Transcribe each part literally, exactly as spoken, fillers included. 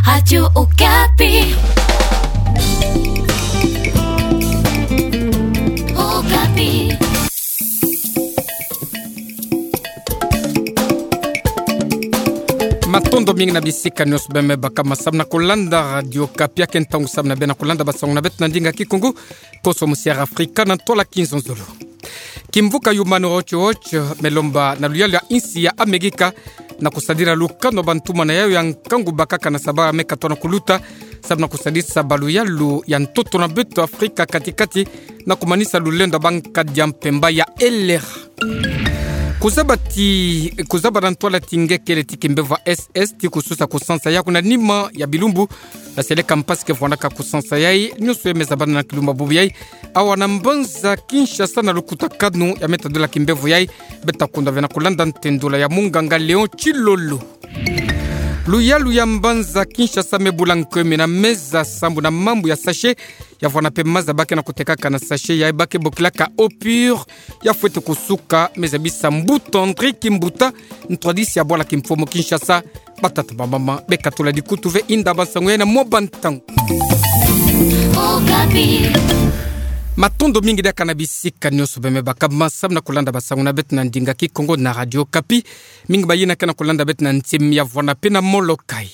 Radio Okapi. Okapi. Matondo mingi na bisika nionso beme baka masamu na kolanda Radio Okapi, ya ke ntangu samu na bena kolanda basango na beto na ndinga Kikongo, koso musi ya Afrika na ntwala kinzonzolo. Kimvuka Human Rights Watch me lomba na luyalu ya insi ya Amerika na kusadila lukanu wa bantumana yayo ya nkangu bakaka na sabala me katoa na kuluta, samu na kusadisa baluyalu ya ntoto na beto Afrika kati-kati, na kumanisa lulendo wa bankadi ya mpemba ya L R A. Kuzaba ti, kuzaba na ntwala ti nge kele ti kimbevo S S ti kususa kusansa ya kuna nima ya bilumbu, ya seleka mpasi ke vwandaka kusansa yayi, nionso ye me zabana na kilumbu bubu yayi, awa na mbanza Kinshasa na lukutakanu ya me tadila kimbevo yayi, beta kunda ve na kolanda ntendula ya munganga Léon Tshilolo. Luyalu ya mbanza Kinshasa me bula nkomi na meza sambu na mambu ya sachet, ya vwanda pe maza ba ke na kutekaka na sachet yayi ba ke bokilaka eau pure, ya fwete kusuka, me zabisa mbuta André Kimbuta, ntwadisi ya bwala kimfumu Kinshasa. Batata bamama, beka tula dikutu ve inda basango yayi na mwa bantangu. Okapi. Matondo mingi diaka na bisika nionso beme baka masamu na kolanda basango na beto na ndinga Kikongo na Radio Okapi. Mingi bayina ke na kolanda beto na ntim ya vwanda pe na Molokai.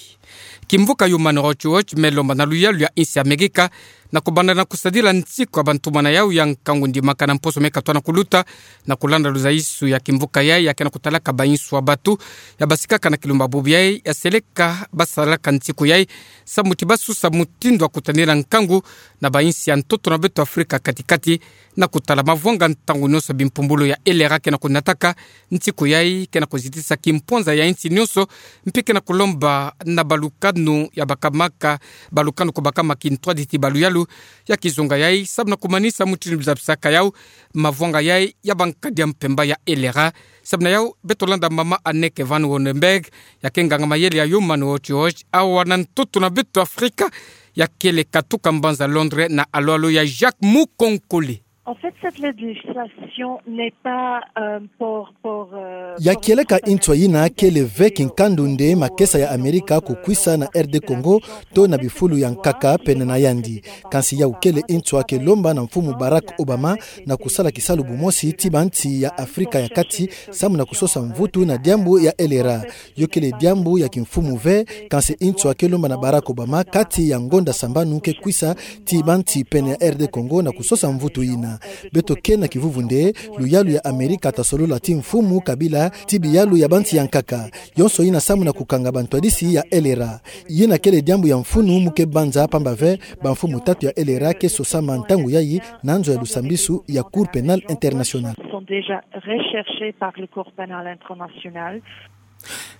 Kimvuka Human Rights Watch me lomba na luyalu ya insi ya Amerika na kubanda na kusadila nsiku ya bantumana yayo ya nkangu ndimaka na mposo me katoa na kuluta, na kolanda luzayisu ya kimvuka yayi ya ke na kutalaka bainsu ya bato ya basikaka na kilumbu bubu yayi, ya seleka basalaka nsiku yayi samu ti basusa mutindu wa kutanila nkangu na bainsi ya ntoto na beto Afrika kati-kati, na kutala mavwanga ntangu nionso bimpumbulu ya L R A ke na kunataka. Nsiku yayi ke na kuzitisa kimpwanza ya insi nionso, mpi ke na kulomba na balukanu ya bakamaka, balukanu ko bakama kintwadi ti baluyalu ya kizunga yayi, samu na kumanisa mutindu bizabisaka yayo mavwanga yayi ya bankadi ya mpemba ya L R A. Samu na yayo, beto landa mama Anneke van Wondenberg, ya ke nganga-mayele ya Human Rights Watch, awa na ntoto na beto Afrika, ya kele katuka mbanza Londres na alo-alo ya Jacques Mukonkole. En fait, cette législation n'est pas, euh, pour, pour, euh, Ya kieleka ntswa yina kele ve kinkandu nde makesa ya Amerika kukwisa na R D Congo, to na bifulu ya nkaka pene na yandi. Kansi yawu kele ntswa ke lomba na mfumu Barack Obama na kusala kisalu bumosi ti bansi ya Afrika ya Kati, samu na kusosa mvutu na diambu ya L R A. Yo kele diambu ya kimfumu ve, kansi ntswa ke lomba na Barack Obama kati ya ngonda sambanu ke kwisa ti bansi pene ya R D Congo na kusosa mvutu yina. Beto ke na kivuvu nde luyalu ya Amerika ta solola ti mfumu Kabila ti biyalu ya bansi ya nkaka. Yonso yina samu na kukanga bantwadisi ya L R A. Yina kele diambu ya mfunu mu ke banza pamba ve bamfumu tatu ya L R A ke sosama ntangu yayi na nzo ya lusambisu ya Cour pénale internationale. Sont déjà recherchés par le Cour pénale internationale.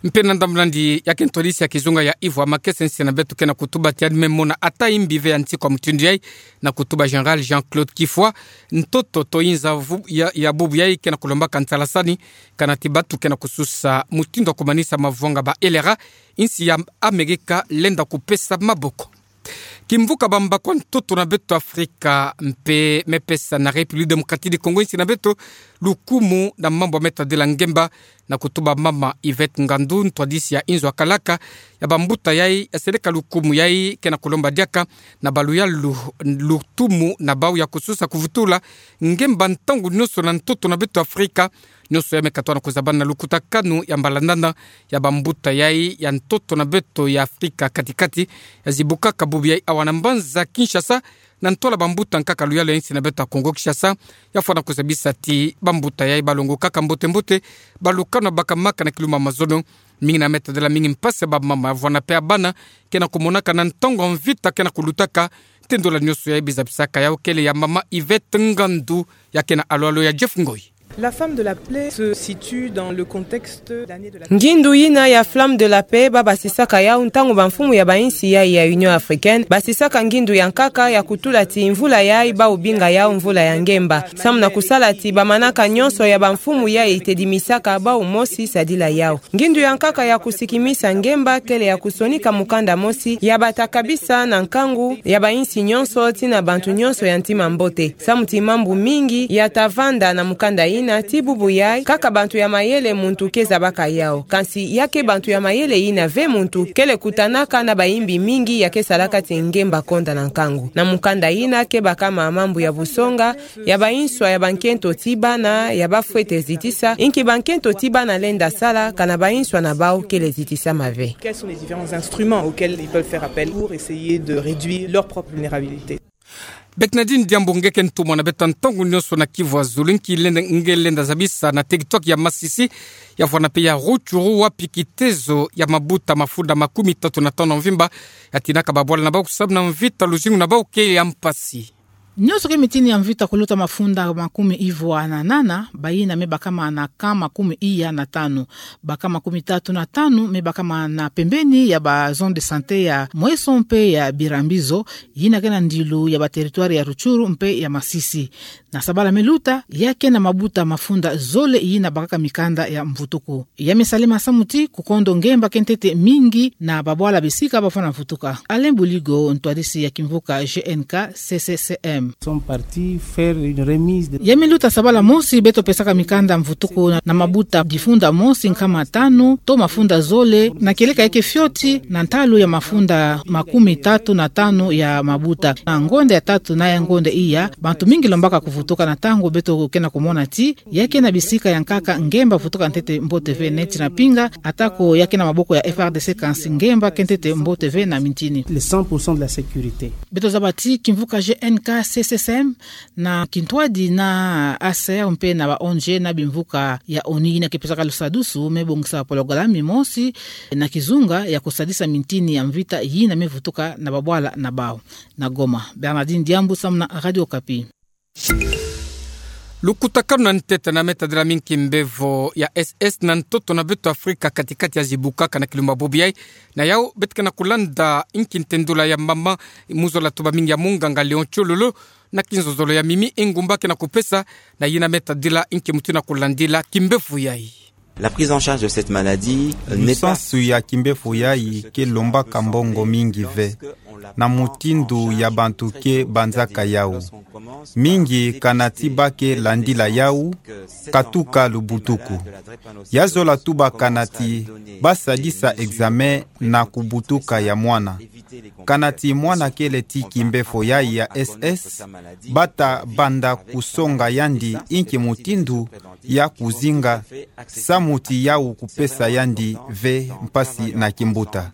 Mpe na ndambu nandi, ya ke ntwadisi ya kizunga ya Ivo Amakese, insi na beto ke na kutuba ti yandi me mona ata imbi ve ya nsiku ya mutindu yayi, na kutuba Général Jean-Claude Kifwa. Ntoto to inza vu-, ya, ya bubu yayi ke na kulombaka nsalasani, kana ti bato ke na kususa mutindu wa kumanisa mavwanga ba L R A, insi ya Amerika lenda kupesa maboko. Kimvuka bambaku ya ntoto na beto Afrika mpe me pesa na République démocratique du Congo, insi na beto, lukumu na mambu ya me tadila ngemba, na kutuba mama Yvette Ngandu, ntwadisi ya inzo ya kalaka ya bambuta yayi, ya seleka lukumu yayi ke na kulomba diaka na baluyalu lutumu na bawu ya kususa kuvutula ngemba ntangu nionso na ntoto na beto Afrika, nionso ya me katoa na kuzabana na lukutakanu ya mbalandana ya bambuta yayi ya ntoto na beto ya Afrika kati-kati, ya zibukaka bubu yayi awa na mbanza Kinshasa, na ntwala bambuta nkaka luyalu ya insi na beto ya Congo Kinshasa, ya fwana kuzabisa ti bambuta yayi balongokaka mbote-mbote balukanu ya bakamaka na kilumbu ya mazono, mingi na me tadila mingi mpasi ya bamama, ya vwanda mpe ya bana ke na kumonaka na ntangu ya mvita ke na kulutaka. Ntendola nionso yayi bizabisaka yawu kele ya mama Yvette Ngandu, ya ke na alo-alo ya Jeff Ngoy. La Flamme de la Paix se situe dans le contexte d'année de la Ngindu yina ya Flamme de la Paix ba basisaka yawu ntangu bamfumu ya bainsi yayi ya Union Africaine basisaka ngindu ya nkaka ya kutula ti mvula yayi bawu binga yawu mvula ya ngemba. Samu na kusala ti bamanaka nionso ya bamfumu yayi itedimisaka bawu mosi sadila yawu. Ngindu ya nkaka ya kusikimisa ngemba kele ya kusonika mukanda mosi ya bata kabisa na nkangu ya bainsi nionso tii na bantu nionso ya ntima mbote. Samu ti mambu mingi ya ta vanda na mukanda yina. Na ti bubu yai, kaka bantu ya mayele muntu ke zabaka yau. Kansi ya ke bantu ya mayele yina ve muntu kele kutanaka na bayimbi mingi ya ke salaka ti ngemba konda na nkangu. Na mukanda yina ke baka ma mambu ya busonga, ya banswa ya bankento ti bana, ya bafwete zitisa, inki bankento ti bana lenda sala, kana banswa na bau kele zitisama ve. Quels sont les différents instruments auxquels ils peuvent faire appel pour essayer de réduire leur propre vulnérabilité ? Beto na dini diambu nge ke ntumwa na beto ntangu nyonso na kivu ya zulu, inki lenda, nge lenda zabisa na territoire ya Masisi, ya vwanda mpe ya Rutshuru, wapi kitezo ya mabuta mafunda makumi tatu na tanu ya mvimba ya tinaka babwala na bau kusamuna mvita, luzingu na bau ke ya mpasi. Nyonso ke mitini ya mvita kuluta mafunda makumi ivwa na nana, bayina me bakama na camp makumi iya na tanu. Ba camp makumi tatu na tanu me bakama na pembeni ya ba zone de santé ya Mweso mpe ya Birambizo, yina ke na ndilu ya ba territoire ya Rutshuru mpe ya Masisi. Na sabala me luta, ya ke na mabuta mafunda zole yina bakaka mikanda ya mvutuku. Ya me salama samu ti kukondo ngemba ke ntete mingi na babwala bisika bafwana mvutuka. Alain Buligo, ntwadisi ya kimvuka G N K C C C M. Sont partis faire une remise de... Ya me luta sabala mosi beto pesaka mikanda mvutuku na, na mabuta difunda mosi nkama tanu, to mafunda zole, na kieleka ya ke fioti, na ntalu ya mafunda makumi tatu na tanu ya mabuta. Na ngonda ya tatu na ya ngonda iya, bantu mingi lombaka kuvutuka na ntangu beto ke na kumona ti, ya ke na bisika ya nkaka ngemba vutuka ntete mbote ve neti na pinga, atako ya ke na maboko ya F R D C kansi ngemba ke ntete mbote ve na mitini. Les cent pour cent de la sécurité. Beto zaba ti kimvuka G N K C C C M na kintwadi na A C R mpe na ba O N G na bimvuka ya ONU yina ke pesaka lusadusu me bongisa pologalami mosi na kizunga ya kusadisa mitini ya mvita yina me vutuka na babwala na bau. Na Goma, Bernardine Diambu samu na Radio Okapi. Lukutakanu na ntete na me tadila minki mbevo ya S S na ntoto na beto Afrika kati-kati ya zibukaka na kilumba bobo yai. Na yau beto ke na kulanda inki ntendula ya mama mu zola tuba mingi ya munganga Léon Tshololo na kinzonzolo ya mimi ingumba ke na kupesa, na yina me tadila inki mutu na kulandila kimbevo yai. La prise en charge de cette maladie, euh, n'est pas... Lusansu ya kimbevo yai ke lombaka mbongo mingi ve na mutindu ya bantu ke banzaka yau. Mingi kana ti ba ke landila yau, katuka lubutuku. Ya zola tuba kana ti ba sadisa examen na kubutuka ya mwana. Kana ti mwana kele ti kimbevo yai ya S S, ba ta banda kusonga yandi inki mutindu ya kuzinga samu ti yau kupesa yandi ve mpasi na kimbuta.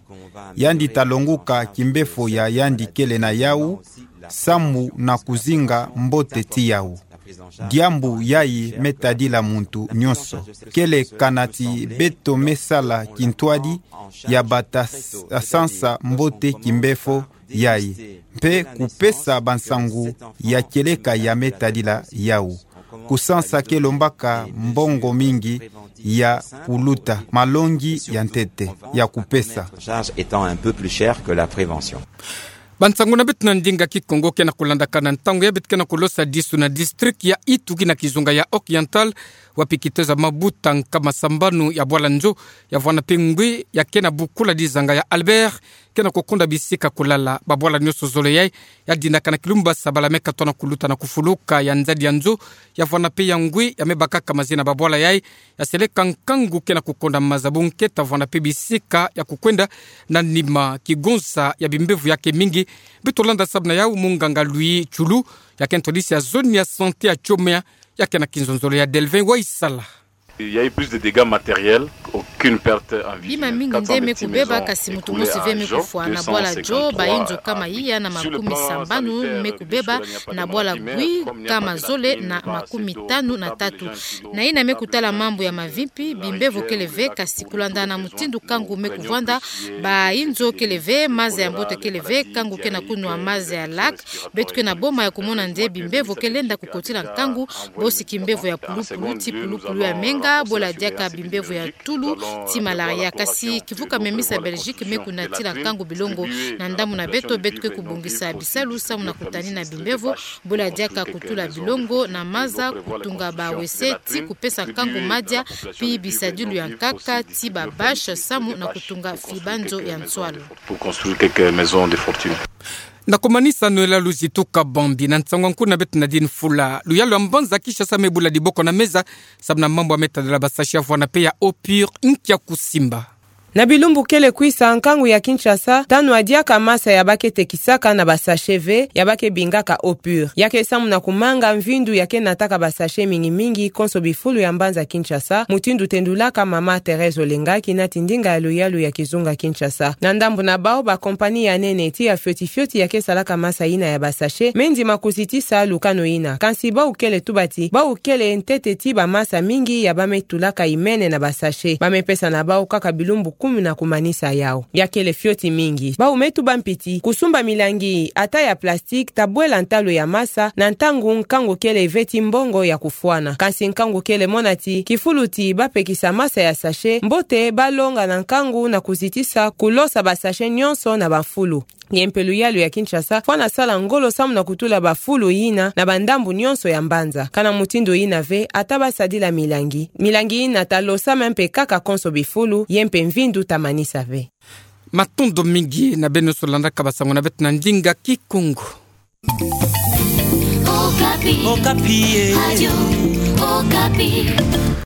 Yandi ta longuka kimbevo ya yandi kele na yau, samu na kuzinga mbote ti yau. Diambu yai me tadila muntu nyonso. Kele kana ti beto me sala kintwadi ya ba ta s-, sansa mbote kimbevo yai, mpe kupesa bansangu ya kieleka ya me tadila yau. Kusansa ke lombaka mbongo mingi ya kuluta malongi ya ntete ya kupesa. Charge étant un peu plus chère que la prévention. Bansangu na beto na ndinga Kikongo ke na kulandaka na ntangu yai, beto ke na kulosadisu na district ya Ituri na kizunga ya Oriental, wapi kitezo ya mabuta nkama sambanu ya bwala nzo ya vwanda mpe ngwi ya ke na bukula dizanga ya Albert ke na kukonda bisika kulala. Babwala nyonso zole yai ya dinaka na kilumba sabala me katona kuluta na kufuluka ya nzadi ya nzo ya vwanda mpe ya ngwi ya me bakaka mazi na babwala yai, ya seleka nkangu ke na kukonda maza, bunketa vwanda mpe bisika ya kukwenda na nima. Kigonza ya bimbevo ya ke mingi. Beto landa samu na yau munganga Louis Tshoulou, ya ke ntwadisi ya zone ya santé ya Tshomeya, ya ke na kinzonzolo ya Delvin Waisala. Il y a eu plus de dégâts matériels, aucune perte en vie humaine. Bima mingi nde me kubeba, kasi mutu mosi ve me kufwa. Na bwala jo, bayinzo kama iya na makumi sambanu me kubeba, na bwala ngwi kama zole na makumi tanu na tatu. Na yina me kutala mambu ya mavimpi, bimbevo kele ve, kasi kulanda na mutindu nkangu me kuvwanda, bayinzo kele ve, maza ya mbote kele ve, nkangu ke na kunwa maza ya lac. Beto ke na boma ya kumona nde bimbevo ke lenda kukotila nkangu, bosi kimbevo ya pulupulu ti pulupulu ya menga, bwela diaka bimbevo ya tulu ti malaria. Kasi kivuka memisa Belgique me kunatila nkangu bilongo. Na ndambu na beto, beto ke kubongisa bisalu samu na kutanina bimbevo, bwela diaka kutula bilongo na maza, kutunga ba W C ti kupesa nkangu madia, pi bisadilu ya nkaka ti ba bâche samu na kutunga fibanzo ya nswalu. Pour construire quelques maisons de fortune. Na kumanisa nuyala luzi tuka bambi na nsangu nku na beto na dini fula. Luyalu ya mbanza Kinshasa mebula diboko na meza, sababu na mambu ya metadala ba sachet ya fwana pe ya Opur nkia kusimba. Na bilumbu kele kwisa, nkangu ya Kinshasa ta nwa diaka masa ya ba ke tekisaka na ba sachet ve, ya ba ke bingaka Opur. Ya ke samu na kumanga mvindu ya ke nataka ba sachet mingi mingi konso bifulu ya mbanza Kinshasa, mutindu tendulaka mama Thérèse Olenga, kina ti ndinga ya luyalu ya kizunga Kinshasa. Na ndambu na bau, ba compagnie ya nene ti ya fioti fioti ya ke salaka masa yina ya ba sachet, me ndima kuzitisa lukanu yina. Kansi bau kele tuba ti, bau kele ntete ti ba masa mingi ya ba me tulaka imene na ba sachet. Ba me pesa na bau kaka bilumbu kumi na kumanisa yau. Ya kele fioti mingi. Bau me tuba mpi ti, kusumba milangi ata ya plastique ta bwela ntalu ya masa, na ntangu nkangu kele ve ti mbongo ya kufwana. Kansi nkangu kele mona ti, kifulu ti ba pekisa masa ya sachet, mbote ba longa na nkangu na kuzitisa kulosa ba sachet nyonso na ba mfulu. Ye mpe luyalu ya Kinshasa fwana sala ngolo samu na kutula ba fulu yina na ba ndambu nyonso ya mbanza. Kana mutindu yina ve, ata ba sadila milangi, milangi yina ta losama mpe kaka konso bifulu, ye mpe mvindu ta manisa ve. Matondo mingi na beno nyonso landaka ba sango na beto na ndinga Kikongo. Okapi. Okapi, eh. Radio Okapi.